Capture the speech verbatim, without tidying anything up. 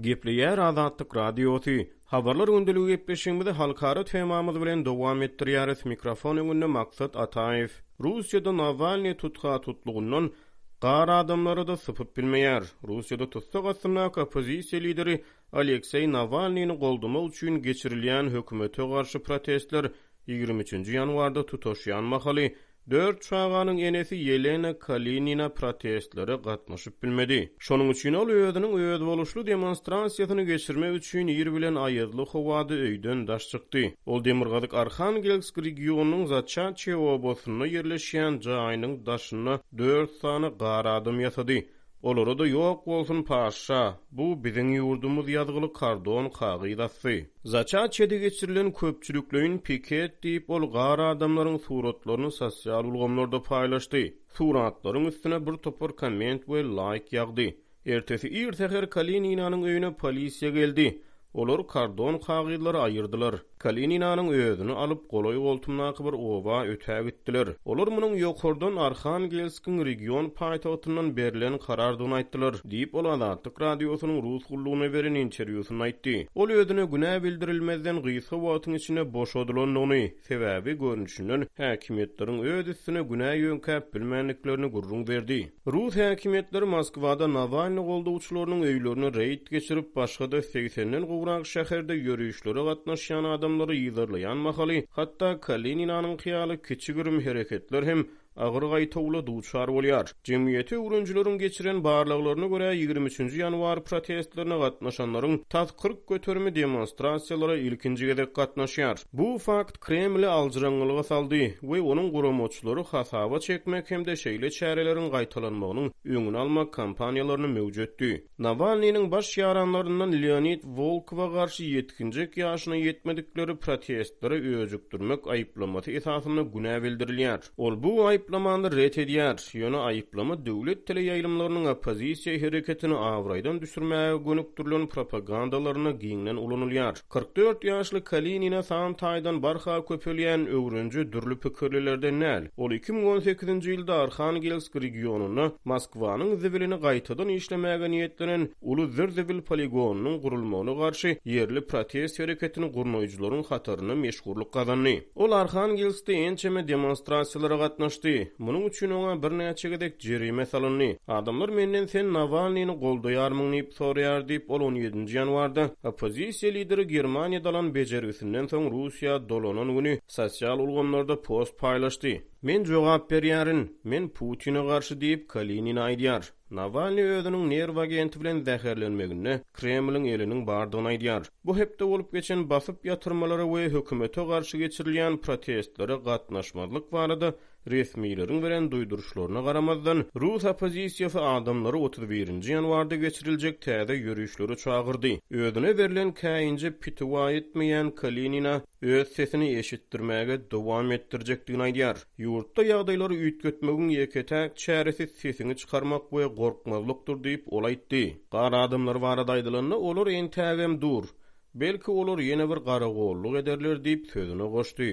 Gepleýär Azatlyk Radiosy. Habarlar gündeligi gepleşigimizi halkara temamyz bilen dowam etdirýäris. Mikrofon öňünde Maksat Ataýew. Russiýada Nawalnyý tutha-tutlugyndan gar adamlary-da sypyp bilmeýär. Russiýada tussag astyndaky oppozisiýa lideri Alekseý Nawalnyny goldamak üçin geçirilýän hökümete garşy protestler ýigrimi üçünji ýanwarda tutaşýan mahaly, dört çaganyň enesi Ýelena Kalinina protestlere gatnaşyp bilmedi. Şonuň üçin ol özüniň özboluşly demonstrasiýasyny geçirmek üçin ir bilen aýazly howada öýden daş çykdy. Ol demirgazyk Arhangelsk regionynyň Zaçatçe obasynda ýerleşýän jaýynyň daşynda dört sany gar adam ýasady. Olara-da Ýok bolsun paşşa, bu biziň ýurdumyz ýazgyly kardon kagyz asdy. Zaçatçede geçirilen köpçülikleýin piket diýip, ol gar adamlaryň suratlaryny sosial ulgamlarda paýlaşdy. Suratlaryň üstüne bir topar komment we laýk ýagdy. Ertesi ir säher Kalininanyň öýüne polisiýa geldi. Olar kardon kagyzlary aýyrdylar. Kalininanyň özüni alyp, golaý-goltumdaky bir oba ötägitdiler. Olar munuň ýokardan, Arhangelskiň region paýtagtyndan berlen karardygyny aýtdylar, diýip, ol Azatlyk Radiosynyň Rus gullugyna beren interwýusynda aýtdy. Ol özüne günä bildirilmezden gysga wagtyň içinde boşadylandygyny, sebäbi, görnüşinden, häkimiýetleriň öz üstüne günä ýöňkäp bilmändiklerini gürrüň berdi. Rus häkimiýetleri Moskwada Nawalny goldawçylarynyň öýlerine reýd geçirip, başga-da segsenden gowrak şäherde ýörişlere gatnaşýan adamlary yzarlaýan mahaly, hatda Kalininanyňky ýaly kiçi-girim hereketler hem agyr gaýtawula duçar bolýar. Jemgyýeti öwrenijileriň geçiren barlaglaryna görä, ýigrimi üçünji ýanwar protestlerine gatnaşanlaryň tas kyrk göterimi demonstrasiýalara ilkinji gezek gatnaşýar. Bu fakt Kremli aljyraňňylyga saldy we onuň guramaçylary hasaba çekmek hem-de şeýle çäreleriň gaýtalanmagynyň öňüni almak kampaniýalaryny möwjetdi. Nawalnynyň baş ýaranlaryndan Leonid Wolkowa garşy ýetginjek ýaşyna ýetmedikleri protestlere öjükdirmek aýyplamasy esasynda günä bildirilýär. Ol bu aýyplamany ret edýär, ýöne aýyplama döwlet teleýaýlymlarynyň oppozisiýa hereketini abraýdan düşürmäge gönükdirilen propagandalarynda giňden ulanylýar. Kyrk dört ýaşly Kalinina san taýdan barha köpelýän öwrenje dürli pikirlilerden däl. Ol iki müň on sekizinji ýylda Arhangelsk regionynda Moskwanyň zibilini gaýtadan işlemäge niýetlenen uly zir-zibil poligonynyň gurulmagyna garşy ýerli protest hereketini gurnaýjylaryň hatarynda meşhurlyk gazandy. Ol Arhangelskde ençeme demonstrasiýalara gatnaşdy. Munuň üçin oňa birnäçe gezek jerime salyndy. Adamlar menden sen Nawalnyny goldaýarmyň diýip soraýar diýip, ol on ýedinji ýanwarda oppozisiýa lideri Germaniýada alan bejergisinden soň Russiýa dolanan güni sosial ulgamlarda post paýlaşdy. Men jogap berýärin, men Putine garşy diýip, Kalinina aýdýar. Nawalnyý özüniň nerw agenti bilen zäherlenmeginde Kremliň eliniň bardygyny aýdýar. Bu hepde bolup geçen basyp ýatyrmalara we hökümete garşy geçirilýän protestlere gatnaşmazlyk barada resmileriň beren duýduryşlaryna garamazdan, rus oppozisiýasy adamlary otuz birinji ýanwarda geçiriljek täze ýörişlere çagyrdy. Özüne berlen käýinje pitiwa etmeýän Kalinina öz sesini eşitdirmäge dowam etdirjekdigini aýdýar. Ýurtda ýagdaýlary üýtgetmegiň ýeke-täk çäresi sesiňi çykarmak we gorkmazlykdyr diýip, ol aýtdy. Gar adamlary barada aýdylanda, olar entägem dur. Belki olar ýene bir garagolluk ederler diýip, sözüne goşdy.